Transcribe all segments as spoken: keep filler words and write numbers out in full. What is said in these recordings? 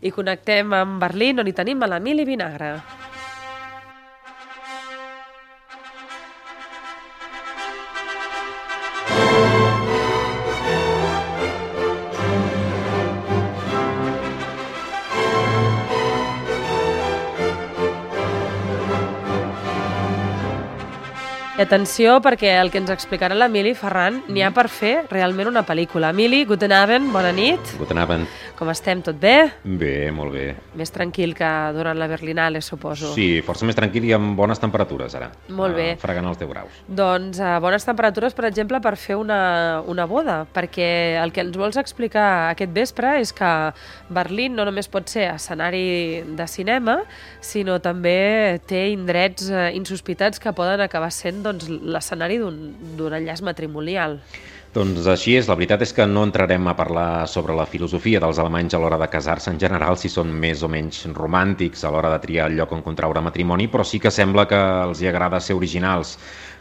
I connectem amb Berlín, on hi tenim a l'Emili Vinagre. I atenció, perquè el que ens explicarà l'Emili Ferran n'hi ha per fer realment una pel·lícula. Emili, guten Abend, bona nit. Guten Abend. Com estem, tot bé? Bé, molt bé. Més tranquil que durant la Berlinale, suposo. Sí, força més tranquil i amb bones temperatures, ara. Molt bé. Uh, fregant els deu graus. Doncs uh, bones temperatures, per exemple, per fer una, una boda, perquè el que ens vols explicar aquest vespre és que Berlín no només pot ser escenari de cinema, sinó també té indrets uh, insospitats que poden acabar sent doncs, l'escenari d'un enllaç matrimonial. Doncs així és, la veritat és que no entrarem a parlar sobre la filosofia dels alemanys a l'hora de casar-se en general, si són més o menys romàntics a l'hora de triar el lloc on contraure matrimoni, però sí que sembla que els hi agrada ser originals.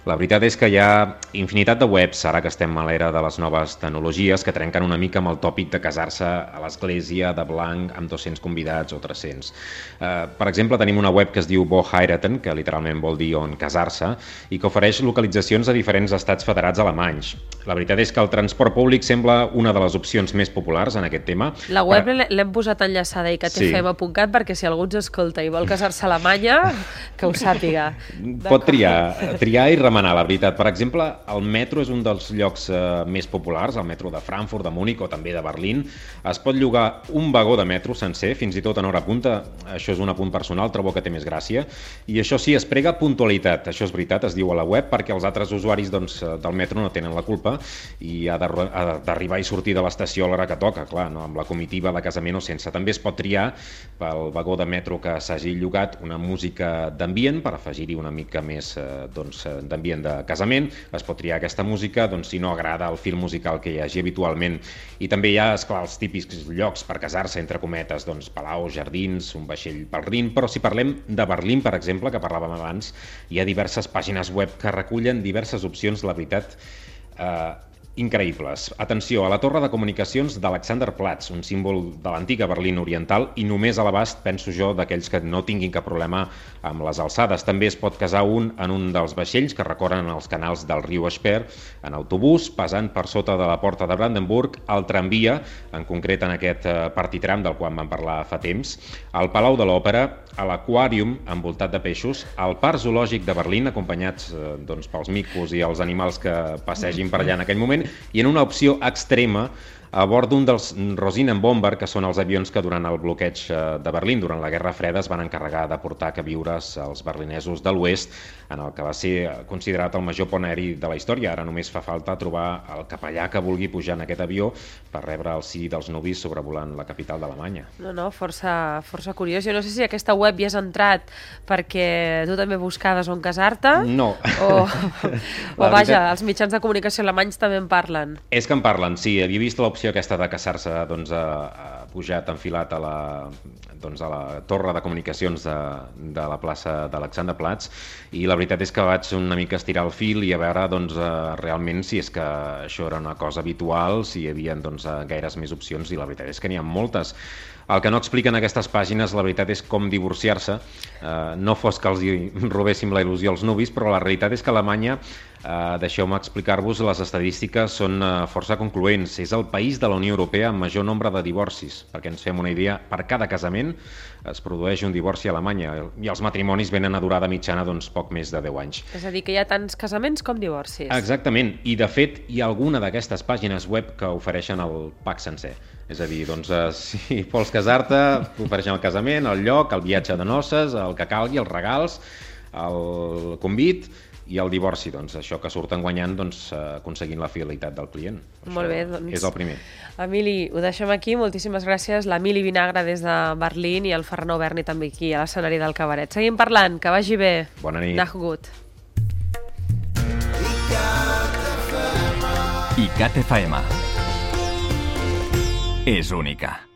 La veritat és que hi ha infinitat de webs, ara que estem a l'era de les noves tecnologies, que trenquen una mica amb el tòpic de casar-se a l'església de blanc amb dos-cents convidats o tres-cents. Uh, per exemple, tenim una web que es diu Wo heiraten, que literalment vol dir on casar-se, i que ofereix localitzacions a diferents estats federats alemanys. La veritat és que el transport públic sembla una de les opcions més populars en aquest tema. La web per... l'hem posat enllaçada i que té fem a punt cat perquè si algú ens escolta i vol casar-se a Alemanya, que ho sàpiga. Pot triar, triar i remenar. La veritat, per exemple, el metro és un dels llocs eh, més populars, el metro de Frankfurt, de Múnich o també de Berlín. Es pot llogar un vagó de metro sencer, fins i tot en hora punta. Això és un apunt personal, trobo que té més gràcia. I això sí, es prega puntualitat, això és veritat, es diu a la web, perquè els altres usuaris doncs, del metro no tenen la culpa i ha d'arribar i sortir de l'estació a l'hora que toca, clar, no? Amb la comitiva de casament o sense. També es pot triar pel vagó de metro que s'hagi llogat una música d'ambient per afegir-hi una mica més eh, doncs, d'ambient de casament, es pot triar aquesta música doncs, si no agrada el fil musical que hi hagi habitualment. I també hi ha, esclar, els típics llocs per casar-se, entre cometes, doncs, palaus, jardins, un vaixell pel Rin, però si parlem de Berlín, per exemple, que parlàvem abans, hi ha diverses pàgines web que recullen diverses opcions, la veritat, eh, increïbles. Atenció, a la torre de comunicacions d'Alexanderplatz, un símbol de l'antiga Berlín oriental i només a l'abast, penso jo, d'aquells que no tinguin cap problema amb les alçades. També es pot casar un en un dels vaixells que recorren els canals del riu Sper, en autobús, passant per sota de la porta de Brandenburg, al tramvia, en concret en aquest partitram del qual vam parlar fa temps, al Palau de l'Òpera, a l'Aquàrium, envoltat de peixos, al Parc Zoològic de Berlín, acompanyats doncs, pels micos i els animals que passegin per allà en aquell moment, i en una opció extrema a bord d'un dels Rosinenbomber, que són els avions que durant el bloqueig de Berlín, durant la Guerra Freda, es van encarregar de portar queviures als berlinesos de l'oest, en el que va ser considerat el major pont aeri de la història. Ara només fa falta trobar el capellà que vulgui pujar en aquest avió per rebre el sí dels nuvis sobrevolant la capital d'Alemanya. No, no, força, força curiós. Jo no sé si aquesta web hi has entrat perquè tu també buscaves on casar-te. No. O, o vaja, els mitjans de comunicació alemanys també en parlen. És que en parlen, sí. Havia vist l'opció aquesta de casar-se doncs, a, a pujat enfilat a la, doncs, a la torre de comunicacions de, de la plaça d'Alexanderplatz, i la veritat és que vaig una mica estirar el fil i a veure doncs, eh, realment si és que això era una cosa habitual, si hi havia doncs, gaires més opcions, i la veritat és que n'hi ha moltes. El que no expliquen aquestes pàgines, la veritat, és com divorciar-se. Eh, no fos que els robéssim la il·lusió als nuvis, però la realitat és que Alemanya, eh, deixeu-me explicar-vos, les estadístiques són eh, força concloents. És el país de la Unió Europea amb major nombre de divorcis. Perquè ens fem una idea, per cada casament es produeix un divorci a Alemanya, i els matrimonis venen a durada mitjana doncs, poc més de deu anys. És a dir, que hi ha tants casaments com divorcis. Exactament, i de fet hi ha alguna d'aquestes pàgines web que ofereixen el pack sencer. És a dir, doncs, eh, si vols casar-te, ofereixen el casament, el lloc, el viatge de noces, el que calgui, els regals, el convit i el divorci, doncs, això que surten guanyant doncs, aconseguint la fidelitat del client. Molt bé, doncs. És el primer. Emili, ho deixem aquí. Moltíssimes gràcies. L'Emili Vinagre des de Berlín i el Ferran Auberni també aquí a l'escenari del cabaret. Seguim parlant, que vagi bé. Bona nit. Nach gut. I C A T F M és única.